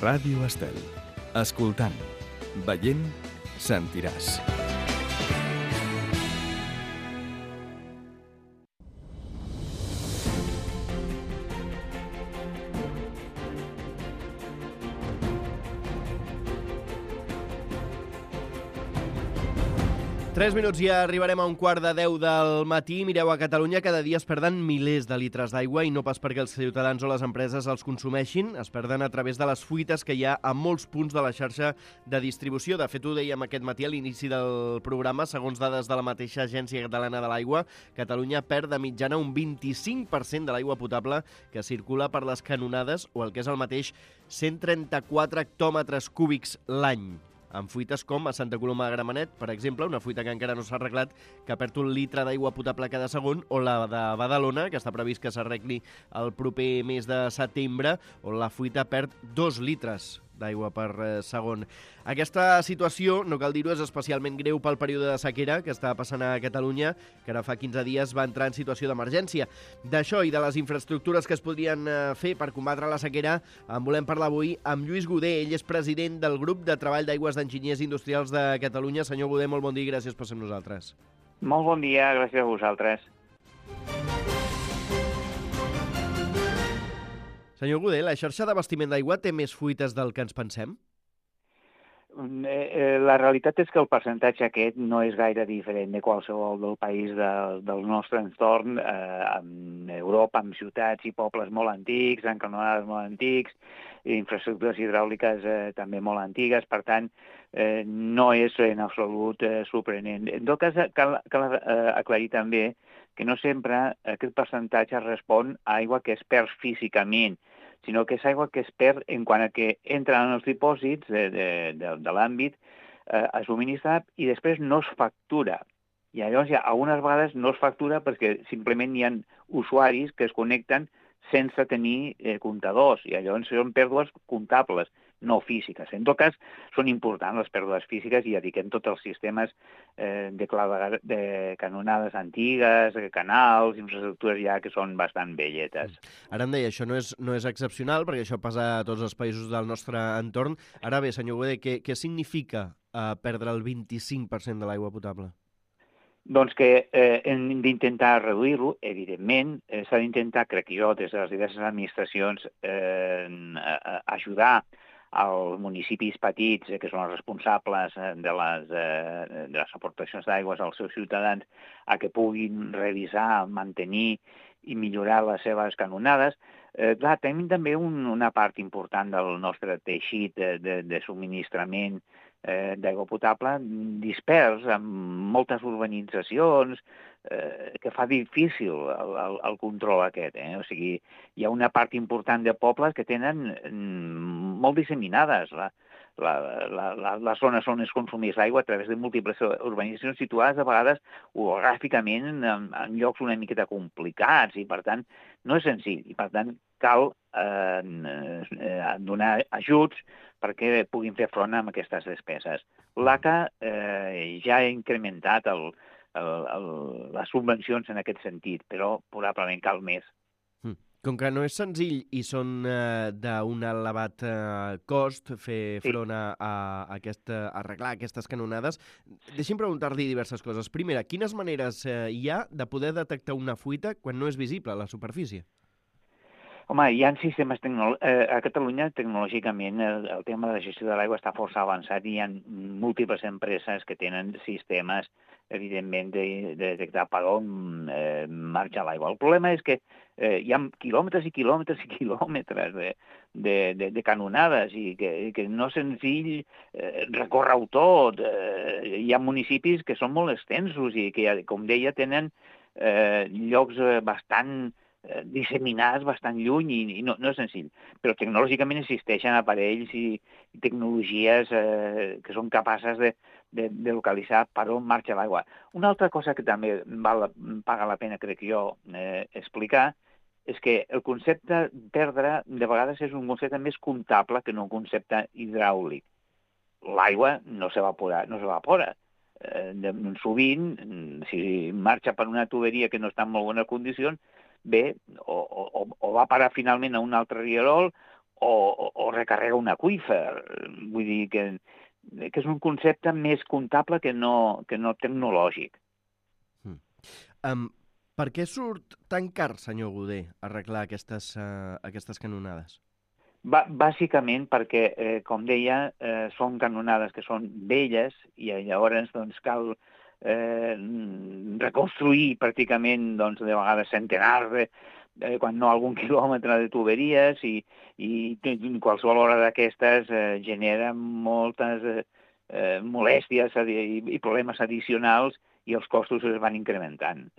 Ràdio Estel. Escoltant, veient, sentiràs. Tres minuts i ja arribarem a 9:45 del matí. Mireu, a Catalunya cada dia es perden milers de litres d'aigua i no pas perquè els ciutadans o les empreses els consumeixin, es perden a través de les fuites que hi ha a molts punts de la xarxa de distribució. De fet, ho dèiem aquest matí a l'inici del programa, segons dades de la mateixa Agència Catalana de l'Aigua, Catalunya perd de mitjana un 25% de l'aigua potable que circula per les canonades, o el que és el mateix, 134 hectòmetres cúbics l'any, amb fuites com a Santa Coloma de Gramenet, per exemple, una fuita que encara no s'ha arreglat, que perd un litre d'aigua potable cada segon, o la de Badalona, que està previst que s'arregli el proper mes de setembre, on la fuita perd 2 litres d'aigua per segon. Aquesta situació, no cal dir-ho, és especialment greu pel període de sequera que està passant a Catalunya, que ara fa 15 dies va entrar en situació d'emergència. D'això i de les infraestructures que es podrien fer per combatre la sequera en volem parlar avui amb Lluís Goder. Ell és president del grup de treball d'aigües d'enginyers industrials de Catalunya. Senyor Goder, molt bon dia i gràcies per ser amb nosaltres. Molt bon dia, gràcies a vosaltres. Senyor Goder, la xarxa d'abastiment d'aigua té més fuites del que ens pensem? La realitat és que el percentatge aquest no és gaire diferent de qualsevol del país del nostre entorn, en Europa, amb ciutats i pobles molt antics, amb canonades molt antics, infraestructures hidràuliques també molt antigues, per tant, no és en absolut sorprenent. En tot cas, cal aclarir també que no sempre aquest percentatge respon a aigua que es perd físicament, sinó que és aigua que es perd en quant a que entra en els dipòsits de l'àmbit a subministrar i després no es factura. I llavors algunes vegades no es factura perquè simplement hi ha usuaris que es connecten sense tenir comptadors, i llavors són pèrdues comptables, no físiques. En tot cas, són importants les pèrdues físiques i dediquem tots els sistemes de canonades antigues, canals, infraestructures ja que són bastant velletes. Ara em deia, això no és excepcional, perquè això passa a tots els països del nostre entorn. Ara bé, senyor Goder, què significa perdre el 25% de l'aigua potable? Doncs que hem d'intentar reduir-lo, evidentment. S'ha d'intentar, crec jo, des de les diverses administracions, ajudar als municipis petits, que són els responsables de les aportacions d'aigües als seus ciutadans, a que puguin revisar, mantenir i millorar les seves canonades. Clar, tenim també una part important del nostre teixit de subministrament d'aigua potable dispers en moltes urbanitzacions, que fa difícil el control aquest. O sigui, hi ha una part important de pobles que tenen molt disseminades les zones on es consumeix l'aigua a través de múltiples urbanitzacions situades a vegades orogràficament en llocs una miqueta complicats i, per tant, no és senzill. I, per tant, cal donar ajuts perquè puguin fer front a aquestes despeses. L'ACA ja ha incrementat les subvencions en aquest sentit, però probablement cal més. Com que no és senzill i són d'un elevat cost fer front a arreglar aquestes canonades, deixi'm preguntar-li diverses coses. Primera, quines maneres hi ha de poder detectar una fuita quan no és visible a la superfície? Home, hi ha sistemes a Catalunya, tecnològicament, el tema de la gestió de l'aigua està força avançat i hi ha múltiples empreses que tenen sistemes, evidentment, de detectar per on marxa l'aigua. El problema és que hi ha quilòmetres i quilòmetres i quilòmetres de canonades i que no és senzill recórrer-ho tot. Hi ha municipis que són molt extensos i que, com deia, tenen llocs bastant disseminats bastant lluny i no és senzill. Però tecnològicament existeixen aparells i tecnologies que són capaces de localitzar per on marxa l'aigua. Una altra cosa que també paga la pena, crec jo, explicar, és que el concepte perdre de vegades és un concepte més comptable que no un concepte hidràulic. L'aigua no s'evapora. Sovint, si marxa per una tuberia que no està en molt bones condicions, bé, o va parar finalment a un altre rierol o recarrega un aqüífer. Vull dir que és un concepte més comptable que no tecnològic. Per què surt tan car, senyor Goder, arreglar aquestes canonades? Bàsicament perquè, com deia, són canonades que són velles i llavors doncs, cal reconstruir pràcticament doncs, de vegades centenars quan no algun quilòmetre de tuberies i qualsevol hora d'aquestes genera moltes molèsties i problemes addicionals i els costos es van incrementant.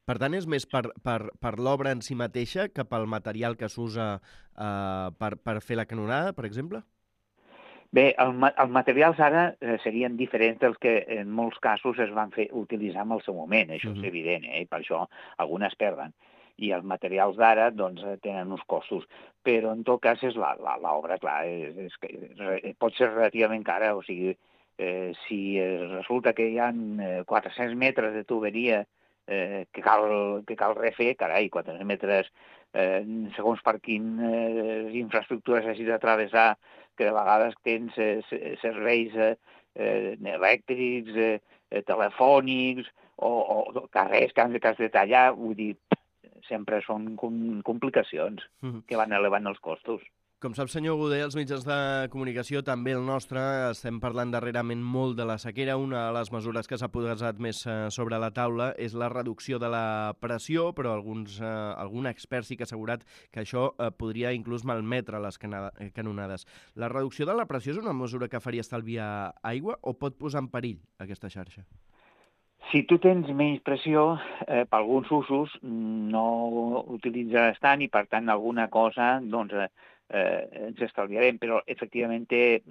Per tant, és més per l'obra en si mateixa que pel material que s'usa per fer la canonada, per exemple? Bé, els materials ara serien diferents dels que en molts casos es van utilitzar en el seu moment, això és evident, i per això algunes perden. I els materials d'ara doncs, tenen uns costos, però en tot cas és l'obra, clar, pot ser relativament cara, o sigui, si resulta que hi ha 400 metres de tuberia que cal refer, carai, 400 metres, segons per quines infraestructures hagis de travessar, que de vegades tens serveis elèctrics, telefònics, o carrers que has de tallar, vull dir, sempre són complicacions que van elevant els costos. Com sap, senyor Goder, els mitjans de comunicació, també el nostre, estem parlant darrerament molt de la sequera. Una de les mesures que s'ha posat més sobre la taula és la reducció de la pressió, però algun expert sí que ha assegurat que això podria inclús malmetre les canonades. La reducció de la pressió és una mesura que faria estalviar aigua o pot posar en perill aquesta xarxa? Si tu tens menys pressió, per alguns usos no utilitzaràs tant i, per tant, alguna cosa doncs, ens estalviarem, però efectivament té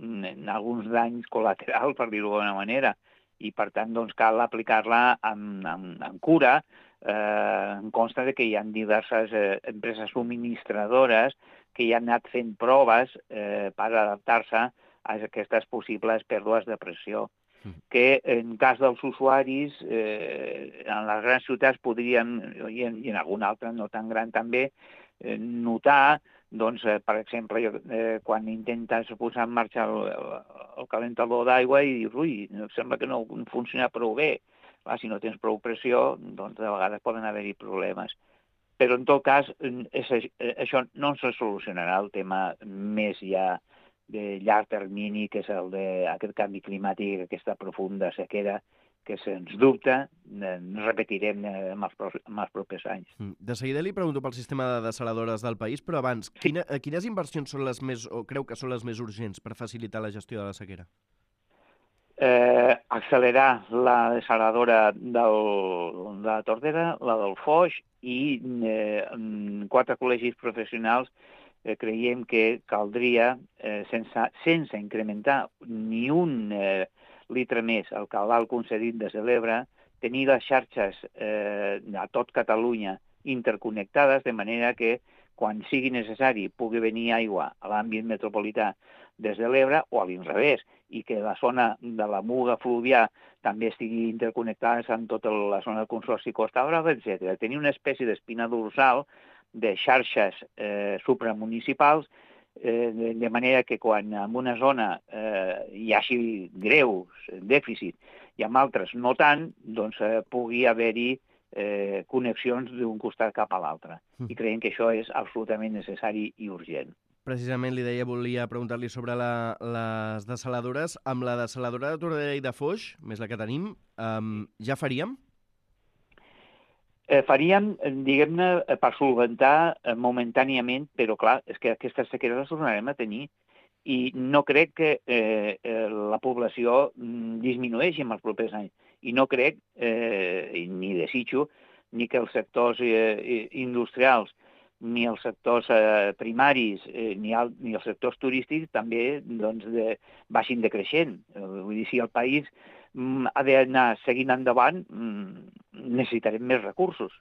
alguns danys col·laterals, per dir-ho d'alguna manera, i per tant doncs, cal aplicar-la amb cura. Em consta que hi ha diverses empreses subministradores que hi han anat fent proves per adaptar-se a aquestes possibles pèrdues de pressió, que en cas dels usuaris en les grans ciutats podrien, i en alguna altra no tan gran també, notar, doncs, per exemple, quan intentes posar en marxa el calentador d'aigua i dius, ui, sembla que no funciona prou bé. Si no tens prou pressió, doncs de vegades poden haver-hi problemes. Però en tot cas, això no se solucionarà el tema més ja de llarg termini, que és el d'aquest canvi climàtic, aquesta profunda sequera, que sens dubte repetirem en els propers anys. De seguida li pregunto pel sistema de dessaladores del país, però abans, quines inversions són les més, o creu que són les més urgents per facilitar la gestió de la sequera? Accelerar la dessaladora de la Tordera, la del Foix, i 4 col·legis professionals creiem que caldria, sense incrementar ni un litre més el cabal concedit des de l'Ebre, tenir les xarxes a tot Catalunya interconnectades, de manera que quan sigui necessari pugui venir aigua a l'àmbit metropolità des de l'Ebre o a l'inrevés, i que la zona de la Muga Fluvià també estigui interconnectada amb tota la zona del Consorci Costa Brava, etc. Tenir una espècie d'espina dorsal de xarxes supramunicipals, de manera que quan en una zona hi hagi greus dèficit i en altres no tant, doncs pugui haver-hi connexions d'un costat cap a l'altre. I creiem que això és absolutament necessari i urgent. Precisament volia preguntar-li sobre les dessaladores. Amb la dessaladora de Tordera i de Foix, més la que tenim, ja faríem? Faríem, diguem-ne, per solventar momentàniament, però clar, és que aquestes sequeres les tornarem a tenir i no crec que la població disminueixi en els propers anys. I no crec, ni desitjo, ni que els sectors industrials, ni els sectors primaris, ni els sectors turístics també doncs, baixin decreixent. Vull dir, si el país ha d'anar seguint endavant, necessitarem més recursos.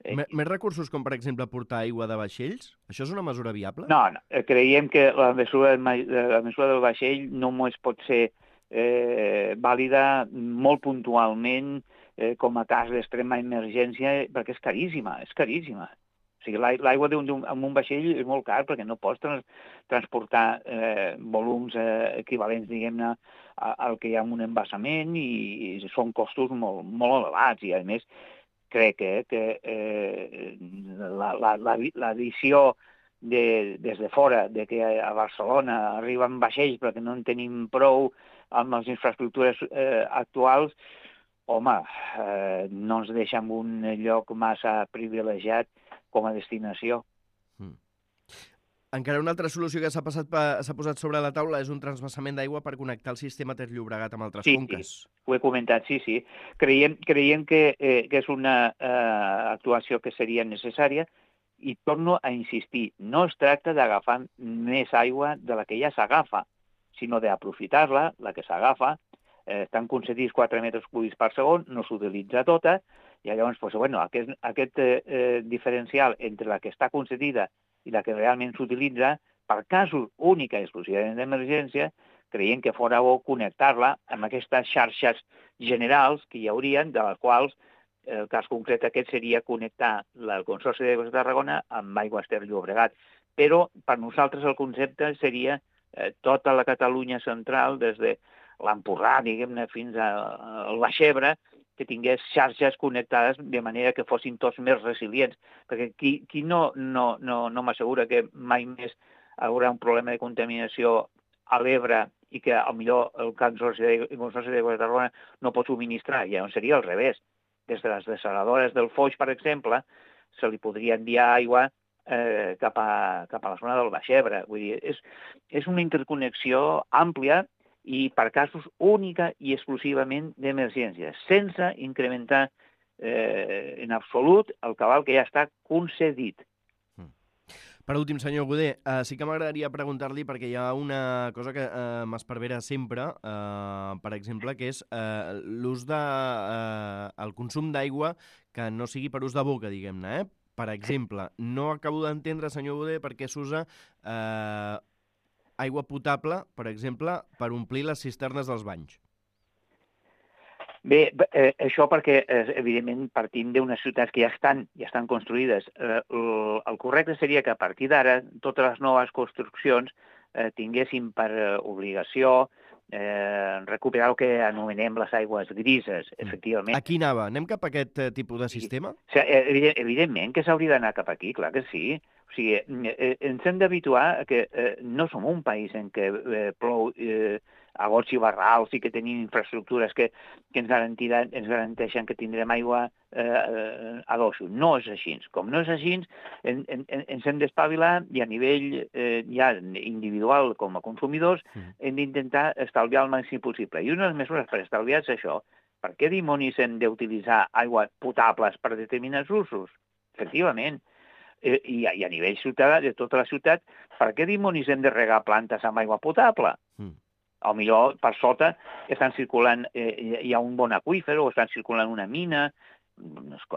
Més recursos com, per exemple, portar aigua de vaixells? Això és una mesura viable? No, creiem que la mesura del vaixell només pot ser vàlida molt puntualment com a cas d'extrema emergència, perquè és caríssima. sigui, l'aigua amb un vaixell és molt car perquè no pots transportar volums equivalents, diguem-ne, al que hi ha en un embassament i són costos molt, molt elevats. I, a més, crec que l'addició des de fora, de que a Barcelona arriben vaixells però que no en tenim prou amb les infraestructures actuals, home, no ens deixa en un lloc massa privilegiat com a destinació. Encara una altra solució que s'ha posat sobre la taula és un transvasament d'aigua per connectar el sistema Ter Llobregat amb altres conques. Sí, ho he comentat, sí. Creiem que és una actuació que seria necessària i torno a insistir, no es tracta d'agafar més aigua de la que ja s'agafa, sinó d'aprofitar-la, la que s'agafa, estan concedits 4 metres cúbics per segon, no s'utilitza tota, i llavors aquest diferencial entre la que està concedida i la que realment s'utilitza, per casos única i exclusivament d'emergència, creiem que fora bo connectar-la amb aquestes xarxes generals que hi haurien, de les quals el cas concret aquest seria connectar el Consorci d'Aigües de Tarragona amb Aigües Ter Llobregat. Però per nosaltres el concepte seria tota la Catalunya central, des de l'Empordà, diguem-ne, fins al Baix-Ebre, que tingués xarxes connectades de manera que fossin tots més resilients. Perquè qui no m'assegura que mai més haurà un problema de contaminació a l'Ebre i que potser el Consorci d'Aigües de Tarragona no pot subministrar, i llavors seria al revés. Des de les dessaladores del Foix, per exemple, se li podria enviar aigua cap a la zona del Baix-Ebre. Vull dir, és una interconnexió àmplia i per casos única i exclusivament d'emergència, sense incrementar en absolut el cabal que ja està concedit. Per últim, senyor Godé, sí que m'agradaria preguntar-li, perquè hi ha una cosa que m'esparvera sempre, per exemple, que és l'ús el consum d'aigua que no sigui per ús de boca, diguem-ne. Per exemple, no acabo d'entendre, senyor Godé, per què s'usa aigua potable, per exemple, per omplir les cisternes dels banys. Bé, això perquè, evidentment, partim d'unes ciutats que ja estan construïdes. El correcte seria que a partir d'ara totes les noves construccions tinguessin per obligació recuperar el que anomenem les aigües grises, efectivament. Aquí anava. Anem cap a aquest tipus de sistema? Evidentment que s'hauria d'anar cap aquí, clar que sí. O sigui, ens hem d'habituar que no som un país en què plou a gots i barrals i que tenim infraestructures que ens garanteixen que tindrem aigua a dojo. No és així. Com no és així, ens hem d'espavilar i a nivell ja individual com a consumidors hem d'intentar estalviar el màxim possible. I una de les mesures per estalviar és això. Per què dimonis hem d'utilitzar aigües potables per determinats usos? Efectivament. I a nivell ciutadà, de tota la ciutat, per què dimonis hem de regar plantes amb aigua potable? A lo millor per sota estan circulant, hi ha un bon aqüífer o estan circulant una mina.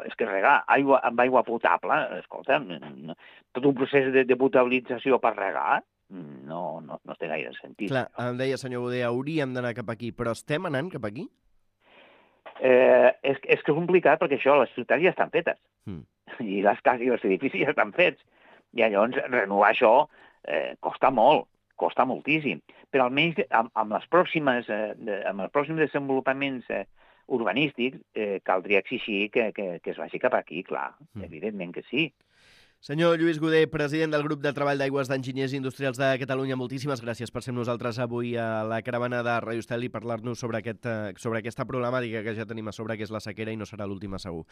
És que regar amb aigua potable, escolta, tot un procés de potabilització per regar no té gaire sentit. Clar, em deia, senyor Godé, hauríem d'anar cap aquí, però estem anant cap aquí? És que és complicat perquè això, les ciutats ja estan fetes. I les cases i els edificis ja estan fets. I llavors renovar això costa molt, costa moltíssim. Però almenys amb els pròxims desenvolupaments urbanístics caldria exigir que es vagi cap aquí, clar, evidentment que sí. Senyor Lluís Godé, president del grup de treball d'aigües d'enginyers industrials de Catalunya, moltíssimes gràcies per ser amb nosaltres avui a la caravana de Radio Estel i parlar-nos sobre aquesta problemàtica que ja tenim a sobre, que és la sequera, i no serà l'última, segur.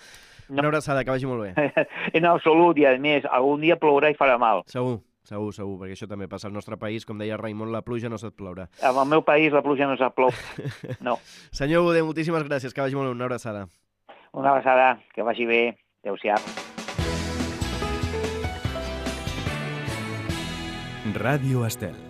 Una abraçada, que vagi molt bé. En absolut, i a més, algun dia plourà i farà mal. Segur, perquè això també passa al nostre país. Com deia Raimon, la pluja no sap ploure. En el meu país la pluja no sap ploure. No. Senyor Godé, moltíssimes gràcies, que vagi molt bé. Una abraçada. Una abraçada, que vagi bé. Adéu-siau. Radio Estel.